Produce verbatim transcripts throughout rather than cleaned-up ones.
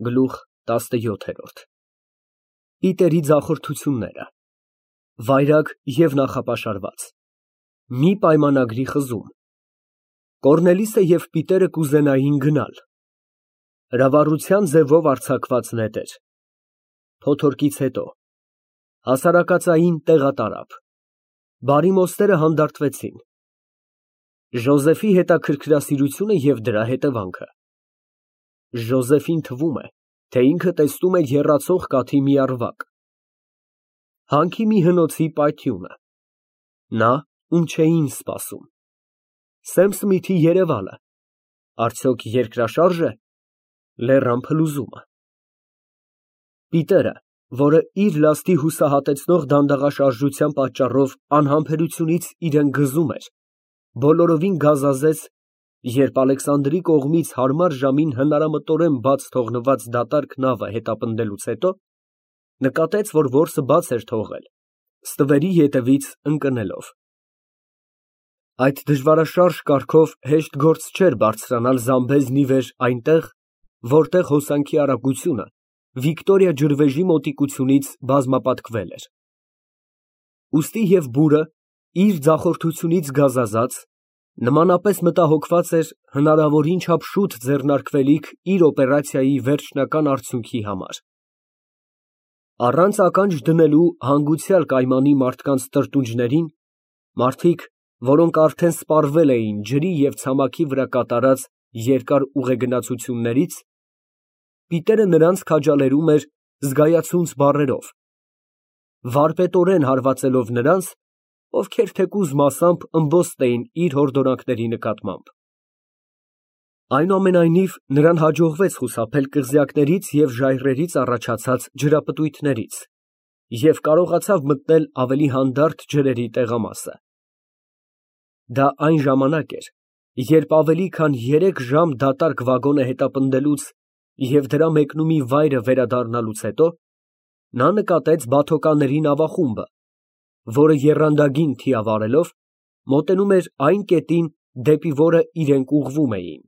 Գլուխ տասնյոթ։ Պիտերի ձախորդությունները, վայրագ և նախապաշարված, մի պայմանագրի խզում, Կոռնելիսը և Պիտերը կուզենային գնալ, հրավառության ձևով արձակված նետեր, փոթորկից հետո, հասարակածային տեղատարափ, բարիմոստերը հանդարտվեցին, Ժոզեֆի հետաքրքրասիրությունը և դրա հետևանքը, Ժոզեֆին թվում է, թե ինքը տեսնում է եռացող կաթի մի առվակ, հանքի մի հնոցի պայթյունը, նա, ում չէին սպասում, Սեմ Սմիթի երևալը, արդյոք երկրաշարժ է, լեռան փլուզումը, Պիտերը, որը իր լաստի հուսահատեցնող դանդաղաշարժության պատճառով անհամբերությունից իրան գզում էր, բոլորովին գազազեց, երբ Ալեքսանդրի կողմից հարմար ժամին հնարամտորեն բաց թողնված դատարկ նավը հետապնդելուց հետո, նկատեց, որ որսը բաց էր թողել, ստվերի ետևից ընկնելով։ Այդ դժվարաշարժ կարգով հեշտ գործ չէր բարձրանալ Զամբեզնի վեր այնտեղ, որտեղ հոսանքի արագությունը Վիկտորիա ջրվեժի մոտիկությունից բազմապատկվել էր։ Ուստի և բուրը, իր ձախորդությունից գազազած, նմանապես մտահոգված էր հնարավորին չափ շուտ ձեռնարկվելիք իր օպերացիայի վերջնական արդյունքի համար։ Առանց ականջ դնելու հանգուցյալ կայմանի մարդկանց տրտունջներին, մարդիկ, որոնք արդեն սպառվել էին ջրի և ցամաքի վրա կատարած երկար ուղեգնացություններից, Պիտերը նրանց քաջալերում էր զգայացունց բառերով, վարպետորեն հարվածելով նրանց, ովքեր թեկուզ մասամբ ըմբոստ էին իր հորդորանքների նկատմամբ։ Այնուամենայնիվ, նրան հաջողվեց խուսափել կղզյակներից և ժայռերից առաջացած ջրապտույտներից և կարողացավ մտնել ավելի հանդարտ ջրերի տեղամասը։ Դա այն ժամանակ էր, երբ ավելի քան երեք ժամ դատարկ վագոնը հետապնդելուց և դրա մեկնումի վայրը վերադառնալուց հետո, նա նկատեց բաթոկանների նավախումբը, որը եռանդագին թիավարելով, մոտենում էր այն կետին, դեպի որը իրենք ուղղվում էին։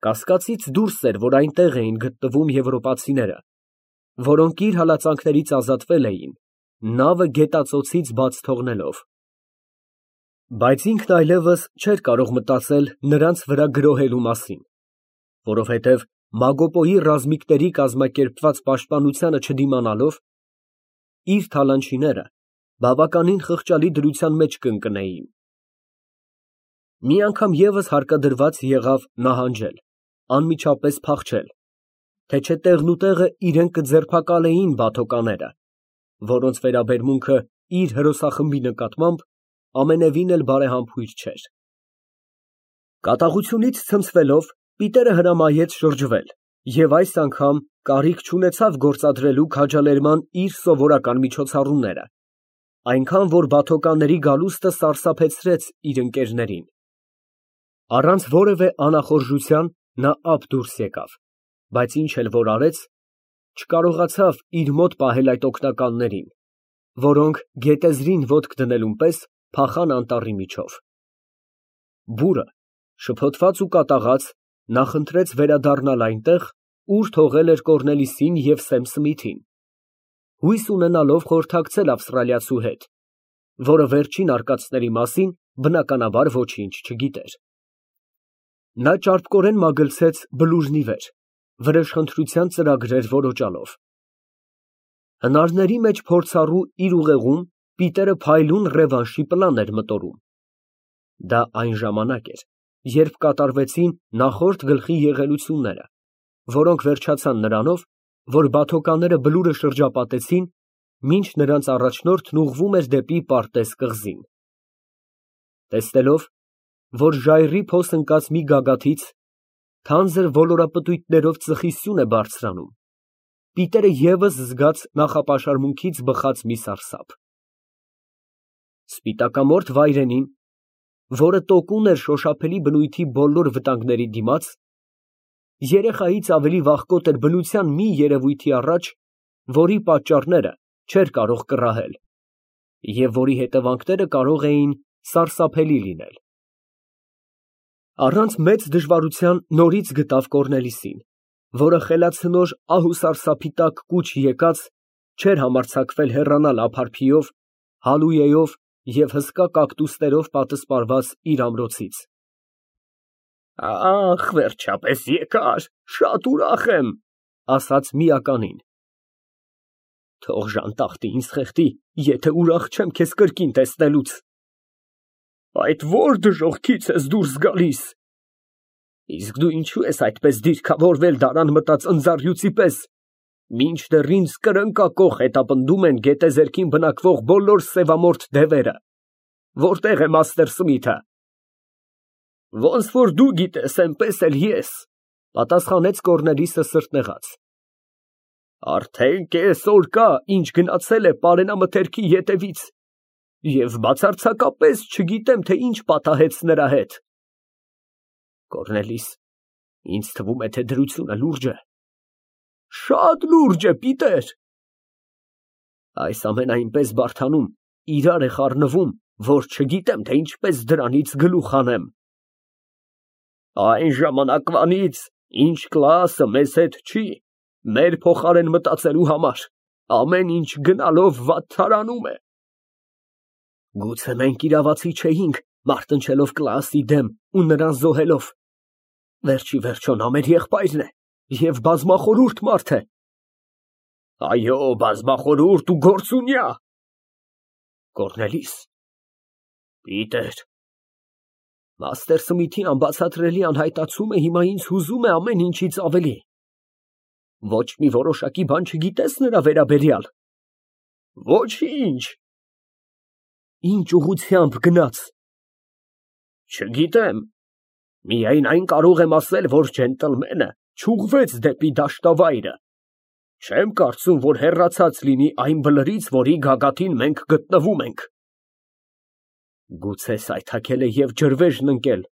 Կասկածից դուրս էր, որ այնտեղ էին գտնվում եվրոպացիները, որոնք իր հալածանքներից ազատվել էին, նավը գետածոցից բաց թողնելով։ Բայց ինքն այլևս չէր կարող մտածել նրանց վրա գրոհելու մասին, որովհետև Մագոպոյի ռազմիկների կազմակերպված պաշտպանությանը չդիմանալով, իր թալանչիները բավականին խղճալի դրության մեջ կընկնեին։ Մի անգամ ևս հարկադրված եղավ նահանջել, անմիջապես փախչել, թե չէ տեղնուտեղը իրան կձերբակալեին բաթոկաները, որոնց վերաբերմունքը իր հրոսախմբի նկատմամբ ամենևին էլ բարեհամբույր չէր։ Կատաղությունից ցնցվելով, Պիտերը հրամայեց շրջվել և այս անգամ կարիք չունեցավ գործադրելու քաջալերման իր սովորական միջոցառումները, այնքան, որ բաթոկանների գալուստը սարսափեցրեց իր ընկերներին։ Առանց որևէ անախորժության նա ափ դուրս եկավ, բայց ինչ էլ որ արեց, չկարողացավ իր մոտ պահել այդ օգնականներին, որոնք գետեզրին ոտք դնելուն պես փախան անտառի միջով։ Բուրը, շփոթված ու կատաղած, նախընտրեց վերադառնալ այնտեղ, ուր թողել էր Կոռնելիսին և Սեմ Սմիթին, հույս ունենալով խորհրդակցել ավստրալիացու հետ, որը վերջին արկածների մասին, բնականաբար, ոչինչ չգիտեր։ Նա ճարպկորեն մագլցեց բլուզնի վեր, վրեժխնդրության ծրագրեր որոջալով։ Հնարների մեջ փորձառու իր ուղեղում Պիտերը փայլուն ռևանշի պլան էր մտորում։ Դա այն ժամանակ էր, երբ կատարվեցին նախորդ գլխի եղելությունները, որոնք վերջացան նրանով, որ բաթոկանները բլուրը շրջապատեցին, մինչ նրանց առաջնորդն ուղղվում էր դեպի Պարտես կղզին։ Տեսնելով, որ ժայռի փոս ընկած մի գագաթից թանձր ոլորապտույտներով ծխի սյուն է բարձրանում, Պիտերը ևս զգաց նախապաշարմունքից բխած մի սարսափ։ Սպիտակամորթ վայրենին, որը տոկուն էր շոշափելի բնույթի բոլոր վտանգների դիմաց, երեխայից ավելի վախկոտ էր բնության մի երևույթի առաջ, որի պատճառները չէր կարող կռահել և որի հետևանքները կարող էին սարսափելի լինել։ Առանց մեծ դժվարության նորից գտավ Կոռնելիսին, որը խելացնոր ահուսարսափի տակ կուչ եկած, չէր համարձակվել հեռանալ ափարփիով, հալույեով և հսկա կակտուսներով պատսպարված իր ամրոցից։ «Ախ, վերջապես եկար, շատ ուրախ եմ», ֊ ասաց միականին։ «Թող ժանտախտը ինձ խեղդի, եթե ուրախ չեմ քեզ կրկին տեսնելուց»։ «Այդ ո՞ր դժոխքից ես դուրս գալիս»։ «Իսկ դու ինչո՞ւ ես այդպես դիրքավորվել դարան մտած ընձառյուծի պես, մինչդեռ ինձ կրնկակոխ հետապնդում են գետեզերքին բնակվող բոլոր սևամորթ դևերը։ Որտե՞ղ է մաստեր Սմիթը»։ «Ոնց որ դու գիտես, էնպես էլ ես», ֊ պատասխանեց Կոռնելիսը սրտնեղած։ «Արդեն կես օր կա, ինչ գնացել է պարենամթերքի ետևից, և բացարձակապես չգիտեմ, թե ինչ պատահեց նրա հետ»։ «Կոռնելիս, ինձ թվում է, թե դրությունը լուրջ է»։ «Շատ լուրջ է, պիտեր»։ «Այս ամենը այնպես բարդանում, իրար է խառնվում, որ չգիտեմ, թե ինչպես դրանից գլուխ հանեմ»։ «Այն ժամանակվանից, ինչ Կլաասը մեզ հետ չի, մեր փոխարեն մտածելու համար, ամեն ինչ գնալով վատթարանում է»։ «Գուցե մենք իրավացի չէինք, մարտնչելով Կլաասի դեմ ու նրան զոհելով։ Վերջիվերջո նա մեր եղբայրն է և բազմախորհուրդ մարդ է»։ «Այո, բազմախորհուրդ ու գործունյա»։ «Կոռնելիս»։ «Պիտեր»։ «Մաստեր Սմիթի անբացատրելի անհայտացումը հիմա ինձ հուզում է ամեն ինչից ավելի։ Ոչ մի որոշակի բան չգիտես նրա վերաբերյալ»։ «Ոչինչ»։ «Ինչ ուղղությամբ գնաց»։ «Չգիտեմ, միայն այն կարող եմ ասել, որ ջենտլմենը չուղղվեց դեպի դաշտավայրը։ Չեմ կարծում, որ հեռացած լինի այն բլրից, որի գագաթին մենք գտնվում ենք»։ «Գուցե սայթաքել է և ջրվեժն ընկել»։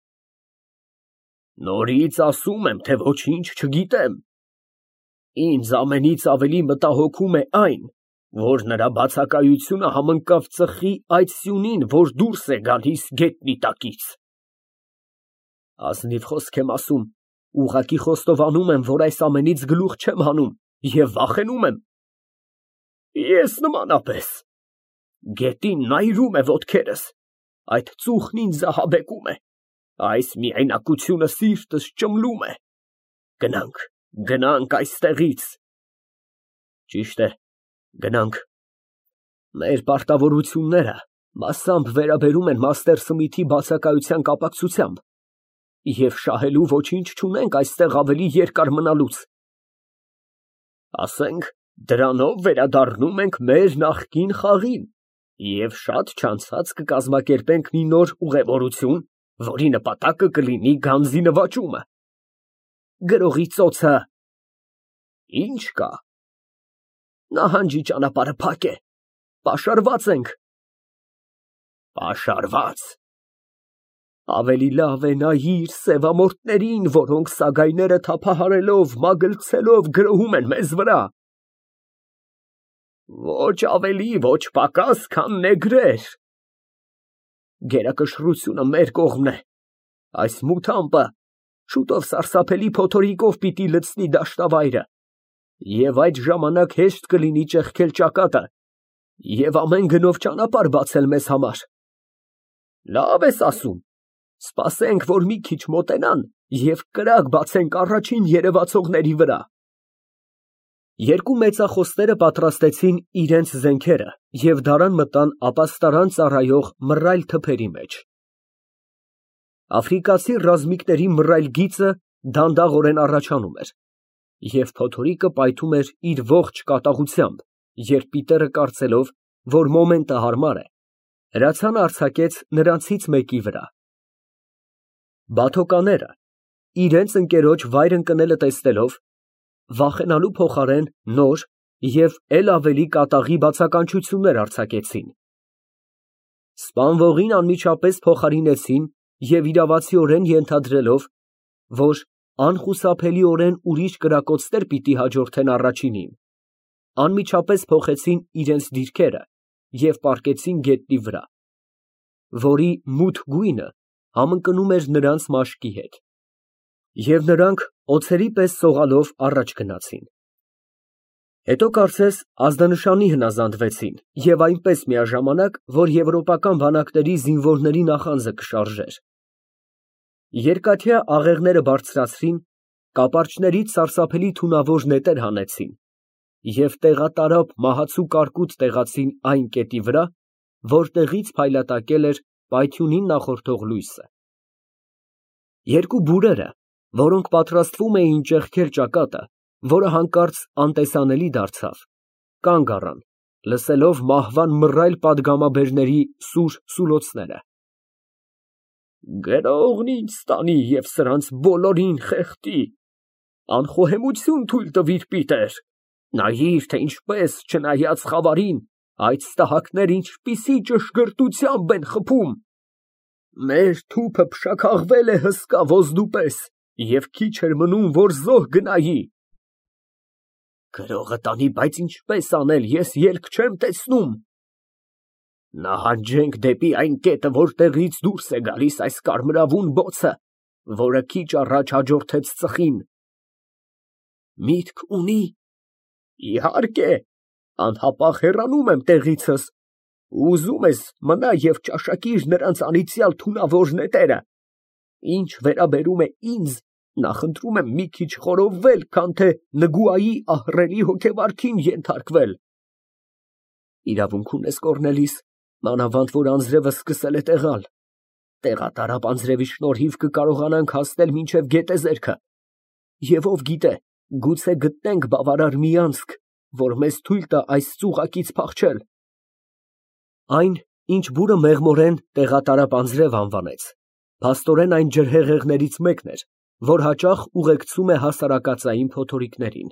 «Նորից ասում եմ, թե ոչինչ չգիտեմ։ Ինձ ամենից ավելի մտահոգում է այն, որ նրա բացակայությունը համընկավ ծխի այդ սյունին, որ դուրս է գալիս գետնի տակից»։ «Ազնիվ խոսք եմ ասում, ուղղակի խոստովանում եմ, որ այս ամենից գլուխ չեմ հանում և վախենում եմ»։ «Ես նմանապես»։ «Գետին նայրում է ոտքերս, այդ ծուխն ինձ ահաբեկում է, այս միայնակությունը սիրտս ճմլում է։ Գնանք, գնանք այստեղից»։ «Ճիշտ է, գնանք»։ Մեր պարտավորությունները մասամբ վերաբերում են մաստեր Սմիթի բացակայության կապակցությամբ, և շահելու ոչինչ չունենք այստեղ ավելի երկար մնալուց։ Ասենք, դրանով վերադառնում ենք մեր նախկին խաղին և շատ չանցած կկազմակերպենք մի նոր ուղևորություն, որի նպատակը կլինի գանձի նվաճումը։ Գրողի ծոցը ի՞նչ կա։ Նահանջի ճանապարհը փակ է, պաշարված ենք։ Պաշարվա՞ծ։ Ավելի լավ է նայիր սևամորթներին, որոնք սագայները թափահարելով, մագլցելով գրոհում են մեզ վրա։ Ոչ ավելի, ոչ պակաս, քան նեգրեր։ Գերակշռությունը մեր կողմն է, այս մութ ամպը շուտով սարսափելի փոթորիկով պիտի լցնի դաշտավայրը, և այդ ժամանակ հեշտ կլինի ճեղքել ճակատը և ամեն գնով ճանապարհ բացել մեզ համար։ Լավ ես ասում, սպասենք, որ մի քիչ մոտենան և կրակ բացենք առաջին երևացողների վրա։ Երկու մեծախոսները պատրաստեցին իրենց զենքերը և դարան մտան ապաստարան ծառայող մռայլ թփերի մեջ։ Աֆրիկացի ռազմիկների մռայլ գիծը դանդաղորեն առաջանում էր, և փոթորիկը պայթում էր իր ողջ կատաղությամբ, երբ Պիտերը, կարծելով, որ մոմենտը հարմար է, հրացանը արձակեց նրանցից մեկի վրա։ Բաթոկաները, իրենց ընկերոջ վայր ընկնելը տեսնելով, վախենալու փոխարեն նոր և էլ ավելի կատաղի բացականչություններ արձակեցին։ Սպանվողին անմիջապես փոխարինեցին և իրավացիորեն ենթադրելով, որ անխուսափելիորեն ուրիշ կրակոցներ պիտի հաջորդեն առաջինին, անմիջապես փոխեցին իրենց դիրքերը և պառկեցին գետնի վրա, որի մութ գույնը համընկնում էր նրանց մաշկի հետ, և նրանք Օձերի պես սողալով առաջ գնացին։ Հետո կարծես ազդանշանի հնազանդվեցին և այնպես միաժամանակ, որ եվրոպական բանակների զինվորների նախանձը կշարժեր։ Երկաթյա աղեղները բարձրացրին, կապարճներից սարսափելի թունավոր նետեր հանեցին և տեղատարափ մահացու կարկուտ տեղացին այն կետի վրա, որտեղից փայլատակել էր պայթյունին նախորդող լույսը։ Երկու բուրերը, որոնք պատրաստվում էին ճեղքել ճակատը, որը հանկարծ անտեսանելի դարձավ, կանգ առան, լսելով մահվան մռայլ պատգամաբերների սուր սուլոցները։ «Գրողն ինձ տանի և սրանց բոլորին խեղդի, անխոհեմություն թույլ տվիր, Պիտեր, նայիր, թե ինչպես, չնայած խավարին, այդ ստահակները ինչպիսի ճշգրտությամբ են խփում։ Մեր թուփը փշաքաղվել է հսկա ոսդու պես և քիչ էր մնում, որ զոհ գնայի։ Գրողը տանի, բայց ինչպես անել, ես ելք չեմ տեսնում։ Նահանջենք դեպի այն կետը, որտեղից դուրս է գալիս այս կարմրավուն բոցը, որը քիչ առաջ հաջորդեց ծխին։ Միտք ունի։ Իհարկե, անհապաղ հեռանում եմ տեղիցս, ուզում ես մնա և ճաշակիր նրանց անիծյալ թունավոր նետերը։ Ինչ վերաբերում է ինձ, նախընտրում եմ մի քիչ խորովվել, քան թե Նգուայի ահռելի հոգեվարքին ենթարկվել։ Իրավունք ունես, Կոռնելիս, մանավանդ որ անձրևը սկսել է տեղալ։ Տեղատարափ անձրևի շնորհիվ կկարողանանք հասնել մինչև գետեզերքը, և ով գիտե, գուցե գտնենք բավարար մի անցք, որ մեզ թույլ տա այս ծուղակից փախչել։ Այն, ինչ բուրը մեղմորեն տեղատարափ անձրև անվանեց, փաստորեն այն ջրհեղեղներից մեկն էր, որ հաճախ ուղեկցում է հասարակածային փոթորիկներին։